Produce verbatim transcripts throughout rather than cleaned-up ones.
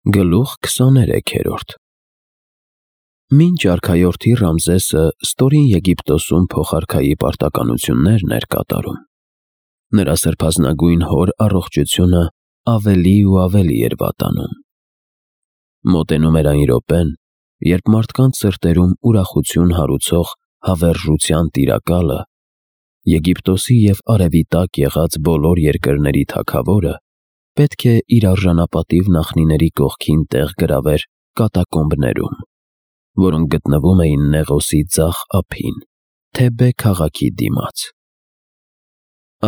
Գլուխ քսաներեքերորդ Մինչ արքայորդի Ռամզեսը ստորին Եգիպտոսում փոխարքայի պարտականություններն էր կատարում, նրա սրբազնագույն հոր առողջությունը ավելի ու ավելի էր վատանում։ Մոտենում էր այն րոպեն, երբ մարդկանց սրտերում ուրախություն հարուցող հավերժության տիրակալը, Եգիպտոսի և արևի տակ եղած բոլոր երկրների թագավորը, պետք է իր արժանապատիվ նախնիների կողքին տեղ գրավեր կատակոմբներում, որոնք գտնվում էին Նեղոսի ձախ ափին, Թեբե քաղաքի դիմաց։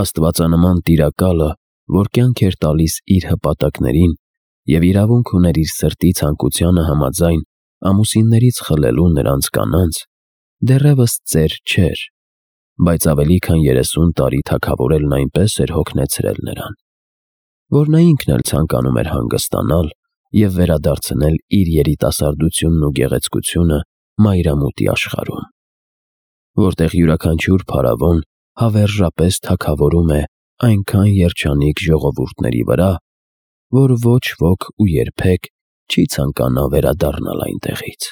Աստվածանման տիրակալը, որ կյանք էր տալիս իր հպատակներին և իրավունք ուներ իր սրտի ցանկությանը համաձայն ամուսիններից խլելու նրանց կանանց, դեռևս ծեր չէր, բայց ավելի քան երեսուն տարի թագավորելն այնպես էր հոգնեցրել նրան, որ նա ինքն էլ ցանկանում էր հանգստանալ և վերադարձնել իր երիտասարդությունն ու գեղեցկությունը մայրամուտի աշխարհում, որտեղ յուրաքանչյուր փարավոն հավերժապես թագավորում է այնքան երջանիկ ժողովուրդների վրա, որ ոչ ոք ու երբեք չի ցանկանա վերադառնալ այնտեղից։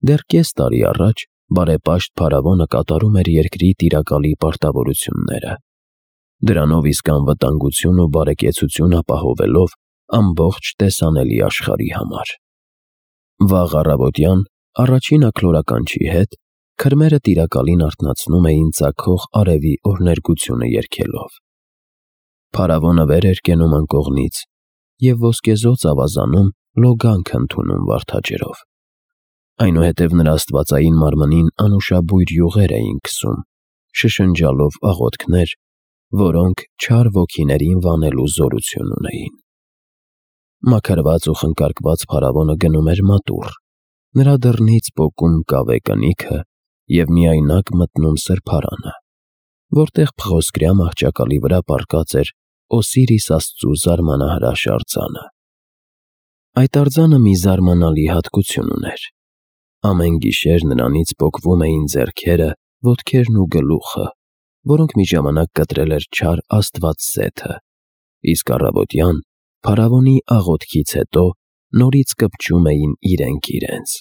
Դեռ կես տարի առաջ բարեպաշտ փարավոնը կատարում էր երկրի տիրակալի պարտավորությունները, դրանով իսկ անվտանգություն ու բարեկեցություն ապահովելով ամբողջ տեսանելի աշխարհի համար։ Վաղ առավոտյան առաջին աքլորականչի հետ քրմերը տիրակալին արթնացնում էին ծագող արևի օրհներգությունը երգելով։ Փարավոնը վեր էր կենում անկողնից և ոսկեզօծ ավազանում լոգանք ընդունում վարդաջրով։ Այնուհետև նրա աստվածային մարմնին անուշաբույր յուղեր էին քսում, շշնջալով աղոթքներ, որոնք չար ոգիներին վանելու զորություն ունեին։ Մաքրված ու խնկարկված փարավոնը գնում էր մատուռ, նրա դռնից պոկում կավե կնիքը և միայնակ մտնում սրբարանը, որտեղ փղոսկրյա մահճակալի վրա պառկած էր Օսիրիս աստծու զարմանահրաշ արձանը։ Այդ արձանը մի զարմանալի հատկություն ուներ. ամեն գիշեր նրանից պոկվում էին ձեռքերը, ոտքերն ու գլուխը, որոնք մի ժամանակ կտրել էր չար աստված Սեթը, իսկ առավոտյան փարավոնի աղոթքից հետո նորից կպչում էին իրենք իրենց։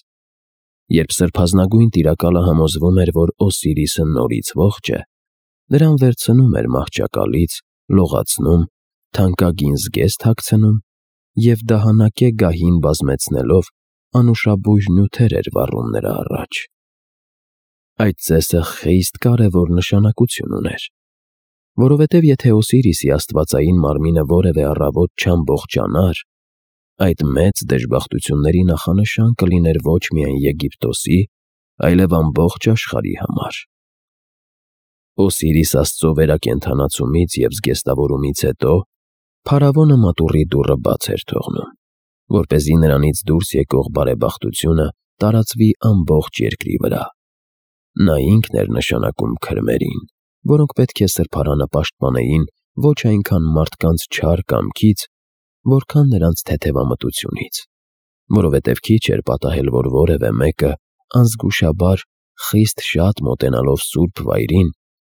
Երբ սրբազնագույն տիրակալը համոզվում էր, որ Օսիրիսը նորից ողջ է, նրան վերցնում էր մահճակալից, լողացնում, թանկագին զգեստ հագցնում և դահանակե գահին բազմեցնելով անուշաբույր նյութեր էր վառում նրա առաջ։ Այդ ծեսը խիստ կարևոր նշանակություն ուներ, որովհետև եթե Օսիրիսի աստվածային մարմինը որևէ առավոտ չամբողջանար, այդ մեծ դժբախտությունների նախանշան կլիներ ոչ միայն Եգիպտոսի, այլև ամբողջ աշխարհի համար։ Օսիրիս աստծո վերակենդանացումից և զգեստավորումից հետո փարավոնը մատուռի դուռը բաց էր թողնում, որպեսզի նրանից դուրս եկող բարեբախտությունը տարածվի ամբողջ երկրի վրա։ Նա ինքն էր նշանակում քրմերին, որոնք պետք է սրբարանը պաշտպանեին ոչ այնքան մարդկանց չար կամքից, որքան նրանց թեթևամտությունից, որովհետև քիչ էր պատահել, որ որևէ մեկը անզգուշաբար խիստ շատ մոտենալով սուրբ վայրին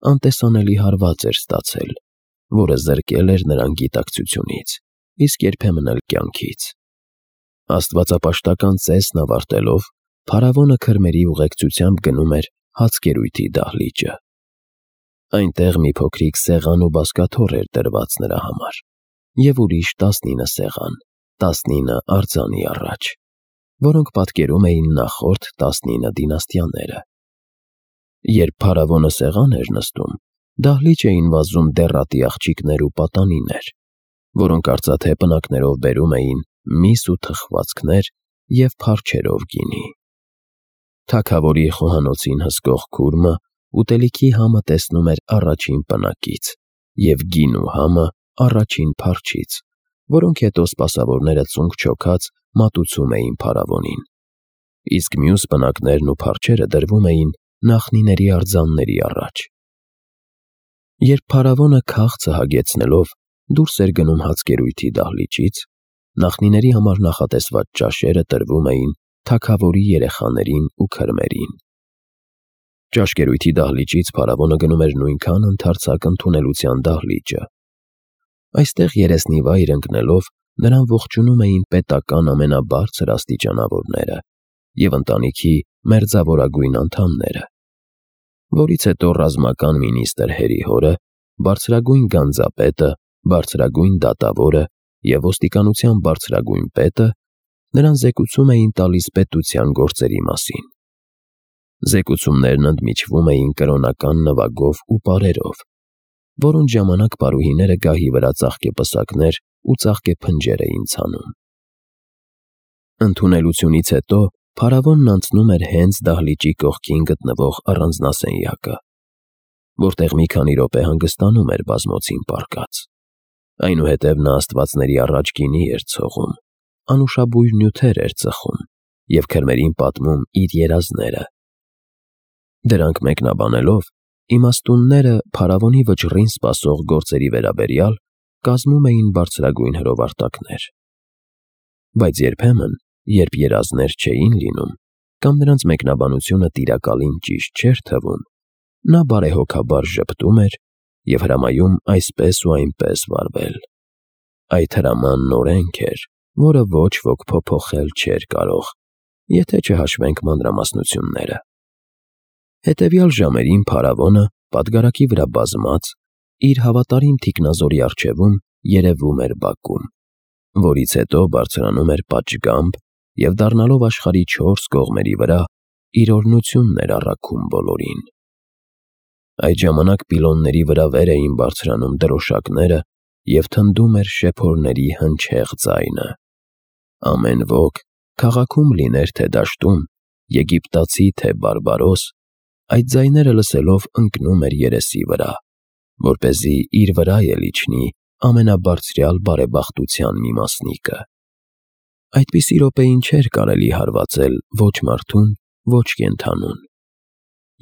անտեսանելի հարված էր ստացել, որը զրկել էր նրան գիտակցությունից, իսկ երբեմն էլ կյանքից։ Աստվածապաշտական ծեսն ավարտելով, փարավոնը քրմերի ուղեկցությամբ գնում էր հացկերույթի դահլիճը։ Այնտեղ մի փոքրիկ սեղան ու բազկաթոռ էր դրված նրա համար և ուրիշ տասնինը սեղան, տասնինը արձանի առաջ, որոնք պատկերում էին նախորդ տասնինը դինաստիաները։ Երբ փարավոնը սեղան էր նստում, դահլիճ էին վազում դեռատի աղջիկներ ու պատանիներ, որոնք արծաթե պնակներով բերում էին միս ու թխվածքներ և փարչերով գինի։ Թագավորի խոհանոցին հսկող քուրմը ուտելիքի համը տեսնում էր առաջին պնակից և գինու համը առաջին փարչից, որոնք հետո սպասավորները ծունկ չոքած մատուցում էին փարավոնին, իսկ մյուս պնակներն ու փարչերը դրվում էին նախնիների արձանների առաջ։ Երբ փարավոնը քաղցը հագեցնելով դուրս էր գնում հացկերույթի դահլիճից, նախնիների համար նախատեսված ճաշերը տրվում էին թագավորի երեխաներին ու քրմերին։ Ճաշկերույթի դահլիճից փարավոնը գնում էր նույնքան ընդարձակ ընդունելության դահլիճը։ Այստեղ երեսնիվայր ընկնելով նրան ողջունում էին պետական ամենաբարձր աստիճանավորները և ընտանիքի մերձավորագույն անդամները, որից հետո ռազմական մինիստրը Հերի հորը, բարձրագույն գանձապետը, բարձրագույն դատավորը և ոստիկանության բարձրագույն պետը նրան զեկուցում էին տալիս պետության գործերի մասին։ Զեկուցումներն ընդմիջվում էին կրոնական նվագով ու պարերով, որոնց ժամանակ պարուհիները գահի վրա ծաղկեպսակներ ու ծաղկեփնջեր էին ցանում։ Ընդունելությունից հետո փարավոնն անցնում էր հենց դահլիճի կողքին գտնվող առանձնասենյակը, որտեղ մի քանի րոպե հանգստանում էր բազմոցին պառկած։ Այնուհետև նա աստվածների առաջ գինի էր ցողում, անուշաբույր նյութեր էր ծխում և քրմերին պատմում իր երազները։ Դրանք մեկնաբանելով, իմաստունները փարավոնի վճռին սպասող գործերի վերաբերյալ կազմում էին բարձրագույն հրովարտակներ։ Բայց երբեմն, երբ երազներ չէին լինում, կամ նրանց մեկնաբանությունը տիրակալին ճիշտ չէր թվում, նա բարեհոգաբար ժպտում էր և հրամայում այսպես ու այնպես վարվել։ Այդ հրամանն օրենք էր, որը ոչ ոք փոփոխել չէր կարող, եթե չհաշվենք մանրամասնությունները։ Հետևյալ ժամերին փարավոնը, պատգարակի վրա բազմած, իր հավատարիմ թիկնազորի առջևում երևում էր բակում, որից հետո բարձրանում էր պատշգամբ և դառնալով աշխարհի չորս կողմերի վրա իր օրհնությունն էր առաքում բոլորին։ Այդ ժամանակ պիլոնների վրա վեր էին բարձրանում դրոշակները և թնդում էր շեփորների հնչեղ ձայնը։ Ամեն ոք, քաղաքում լիներ թե դաշտում, եգիպտացի թե բարբարոս, այդ ձայները լսելով ընկնում էր երեսի վրա, որպեսզի իր վրա էլ իջնի ամենաբարձրյալ բարեբախտության մի մասնիկը։ Այդպիսի րոպեին չէր կարելի հարվածել ոչ մարդուն, ոչ կենդանուն։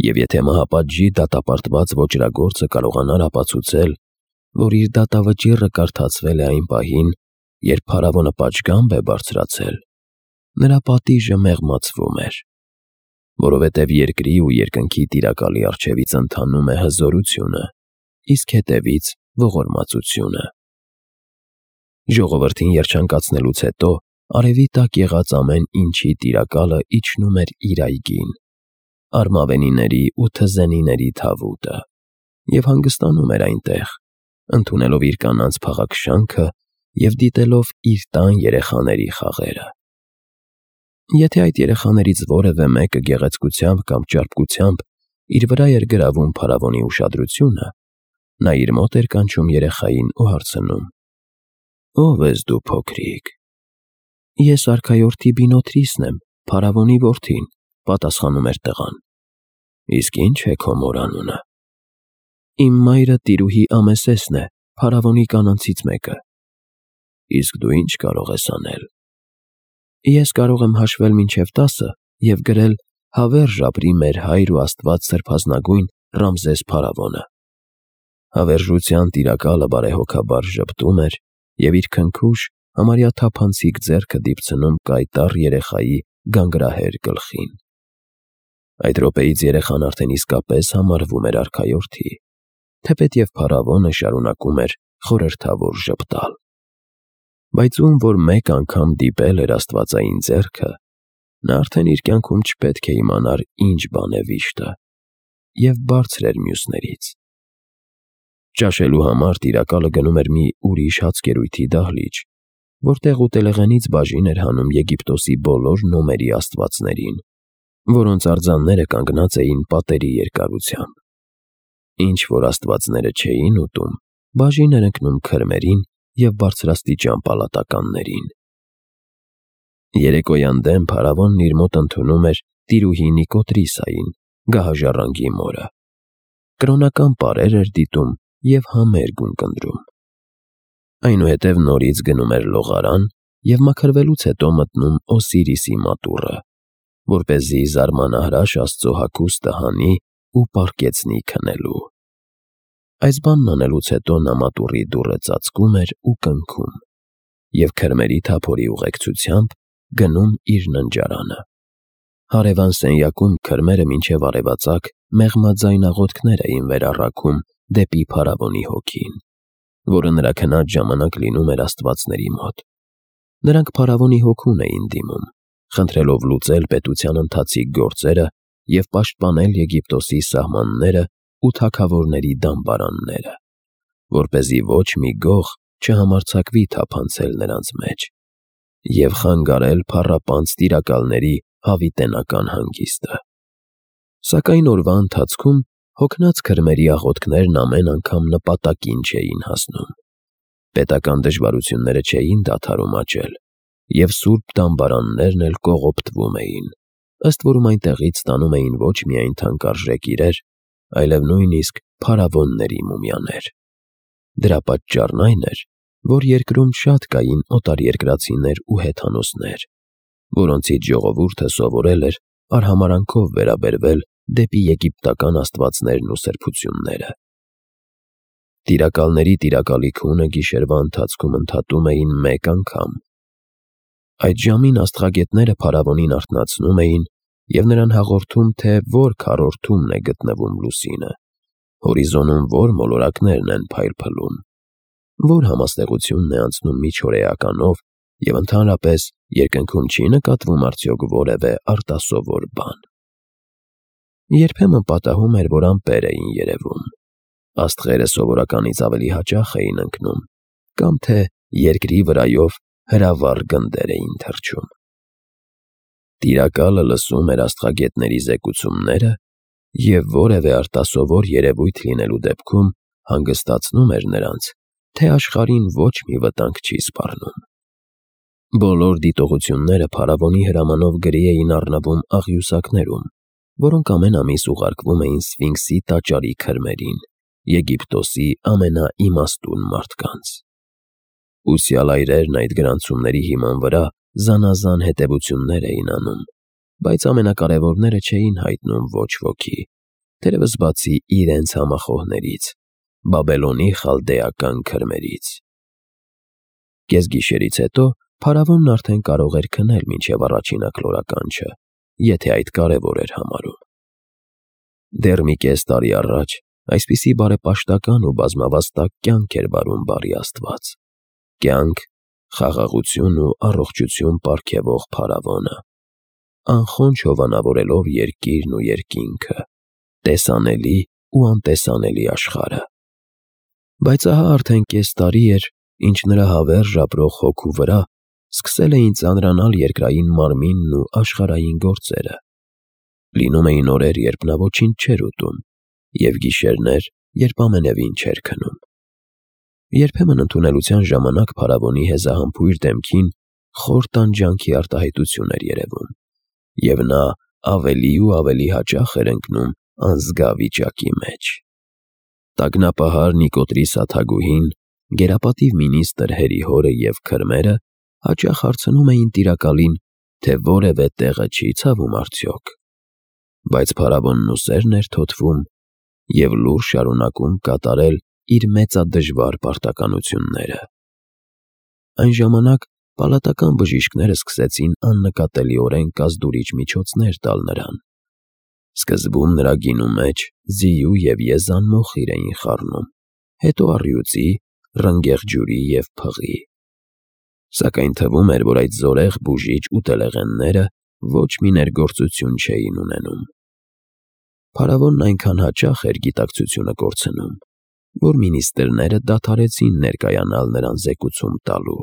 Եվ եթե մահապատժի դատապարտված ոճրագործը կարողանար ապացուցել, որ իր դատավճիռը կարդացվել է այն պահին, երբ փարավոնը պատշգամբ է բարձրացել, նրա պատիժը մեղմացվում էր, որովհետև երկրի ու երկնքի տիրակալի առջևից ընթանում է հզորությունը, իսկ հետևից ողորմածությունը։ Ժողովրդին երջանկացնելուց հետո արևի տակ եղած ամեն ինչի տիրակալը իջնում էր իր այգին, արմավենիների ու թզենիների թավուտը, և հանգստանում էր այնտեղ, ընդունելով իր կանանց փաղաքշանքը և դիտելով իր տան երեխաների խաղերը։ Եթե այդ երեխաներից որևէ մեկը գեղեցկությամբ կամ ճարպկությամբ իր վրա էր գրավում փարավոնի ուշադրությունը, նա իր մոտ էր կանչում երեխային ու հարցնում. «Ո՞վ ես դու, փոքրիկ»։ «Ես արքայորդի Բինոթրիսն եմ, փարավոնի որդին», պատասխանում էր տղան։ «Իսկ ի՞նչ է քո մոր անունը»։ «Իմ մայրը տիրուհի Ամեսեսն է, փարավոնի կանանցից մեկը»։ «Իսկ դու ի՞նչ կարող ես անել»։ «Ես կարող եմ հաշվել մինչև տասը և գրել. «Հավերժ ապրի մեր հայր ու աստված սրբազնագույն Ռամզես փարավոնը»։ Հավերժության տիրակալը բարեհոգաբար ժպտում էր և իր քնքուշ, համարյա թափանցիկ ձեռքը դիպցնում կայտառ երեխայի գանգրահեր գլխին։ Այդ րոպեից երեխան արդեն իսկապես համարվում էր արքայորդի, թեպետև փարավոնը շարունակում էր խորհրդավոր ժպտալ։ Բայց ում որ մեկ անգամ դիպել էր աստվածային ձեռքը, նա արդեն իր կյանքում չպետք է իմանար ինչ բան է վիշտը, և բարձր էր մյուսներից։ Ճաշելու համար տիրակալը գնում էր մի ուրիշ հացկերույթի դահլիճ, որտեղ ուտելեղենից բաժին էր հանում Եգիպտոսի բոլոր նոմերի աստվածներին, որոնց արձանները կանգնած էին պատերի երկարությամբ։ Ինչ որ աստվածները չէին ուտում, բաժին էր ընկնում քրմերին և բարձրաստիճան պալատականներին։ Երեկոյան դեմ փարավոնն իր մոտ ընդունում էր տիրուհի Նիկոտրիսային, գահաժառանգի մորը։ Կրոնական պարեր էր դիտում և համերգ ունկնդրում։ Այնուհետև նորից գնում էր լողարան և մաքրվելուց հետո մտնում Օսիրիսի մատուռը, որպեսզի զարմանահրաշ Աստծո հագուստը հանի ու պառկեցնի քնելու։ Այս բանն անելուց հետո նա մատուռի դուռը ծածկում էր ու կնքում և քրմերի թափորի ուղեկցությամբ գնում իր ննջարանը։ Հարևան սենյակում քրմերը մինչև արևածագ մեղմաձայն աղոթքներ էին վերառակում դեպի փարավոնի հոգին, որը նրա քնած ժամանակ լինում էր աստվածների մոտ, Նրանք փարավոնի հոգուն էին դիմում, խնդրելով լուծել պետության ընթացիկ գործերը և պաշտպանել Եգիպտոսի սահմանները ու թագավորների դամբարանները, որպեսզի ոչ մի գող չհամարձակվի թափանցել նրանց մեջ և խանգարել փառապանծ տիրակալների հավիտենական հանգիստը։ Սակայն օրվա ընթացքում հոգնած քրմերի աղոթքներն ամեն անգամ նպատակին չէին հասնում։ Պետական դժվարությունները չէին դադարում աճել, և սուրբ դամբարաններն էլ կողոպտվում էին, ըստ որում այնտեղից ստանում էին ոչ միայն թանկարժեք իրեր, այլև նույնիսկ փարավոնների մումիաներ։ Դրա պատճառն այն էր, որ երկրում շատ կային օտարերկրացիներ ու հեթանոսներ, որոնցից ժողովուրդը սովորել էր արհամարհանքով վերաբերվել դեպի եգիպտական աստվածներն ու սրբությունները։ Տիրակալների տիրակալի քունը գիշերվա ընթացքում ընդհատում էին մեկ անգամ։ Այդ ժամին աստղագետները փարավոնին արթնացնում էին և նրան հաղորդում, թե որ քառորդումն է գտնվում լուսինը, հորիզոնում որ մոլորակներն են փայլփլում, որ համաստեղությունն է անցնում միջօրեականով և ընդհանրապես երկնքում չի նկատվում արդյոք որևէ արտասովոր բան։ Երբեմն պատահում էր, որ ամպեր էին երևում, աստղերը սովորականից ավելի հաճախ էին ընկնում, կամ թե երկրի վրայով հրավառ գնդեր էին թռչում։ Տիրակալը լսում էր աստղագետների զեկուցումները և որևէ արտասովոր երևույթ լինելու դեպքում հանգստացնում էր նրանց, թե աշխարհին ոչ մի վտանգ չի սպառնում։ Բոլոր դիտողությունները փարավոնի հրամանով գրի էին առնվում աղյուսակներում, որոնք ամեն ամիս ուղարկվում էին Սֆինքսի տաճարի քրմերին, Եգիպտոսի ամենաիմաստուն մարդկանց։ Ուսյալ այրերն այդ գրանցումների հիման վրա զանազան հետևություններ էին անում, բայց ամենակարևորները չէին հայտնում ոչ ոքի, թերևս բացի իրենց համախոհներից՝ Բաբելոնի խալդեական քրմերից։ Կեսգիշերից հետո փարավոնն արդեն կարող էր քնել մինչև առաջին աքլորականջը, եթե այդ կարևոր էր համարում։ Դեռ մի կես տարի առաջ այսպիսի բարեպաշտական ու բազմավաստակ կյանք էր վարում բարի Աստված, կյանք, խաղաղություն ու առողջություն պարգևող փարավոնը, անխոնջ հովանավորելով երկիրն ու երկինքը, տեսանելի ու անտեսանելի աշխարհը։ Բայց ահա արդեն կես տարի էր, ինչ նրա հավերժ ապրող հոգու վրա սկսել էին ծանրանալ երկրային մարմինն ու աշխարհային գործերը։ Լինում էին օրեր, երբ նա ոչինչ չէր ուտում, և գիշերներ, երբ ամենևին չէր քնում։ Երբեմն ընդունելության ժամանակ փարավոնի հեզահամբույր դեմքին խոր տանջանքի արտահայտություն էր երևում, և նա ավելի ու ավելի հաճախ էր ընկնում անզգա վիճակի մեջ։ Տագնապահար Նիկոտրիս աթագուհին, գերապատիվ մինիստր Հերիհորը և քրմերը հաճախ հարցնում էին տիրակալին, թե որևէ տեղը չի ցավում արդյոք։ Բայց փարավոնն ուսերն էր թոթվում և լուռ շարունակում կատարել իր մեծադժվար պարտականությունները։ Այն ժամանակ պալատական բժիշկները սկսեցին աննկատելիորեն կազդուրիչ միջոցներ տալ նրան։ Սկզբում նրա գինու մեջ ձիու և եզան մոխիր էին խառնում, հետո առյուծի, ռնգեղ ջուրի և փղի։ Սակայն թվում էր, որ այդ զորեղ բուժիչ ուտելեղենները ոչ մի ներգործություն չէին ունենում։ Փարավոնն այնքան հաճախ էր գիտակցությունը կորցնում, որ մինիստրները դադարեցին ներկայանալ նրան զեկուցում տալու։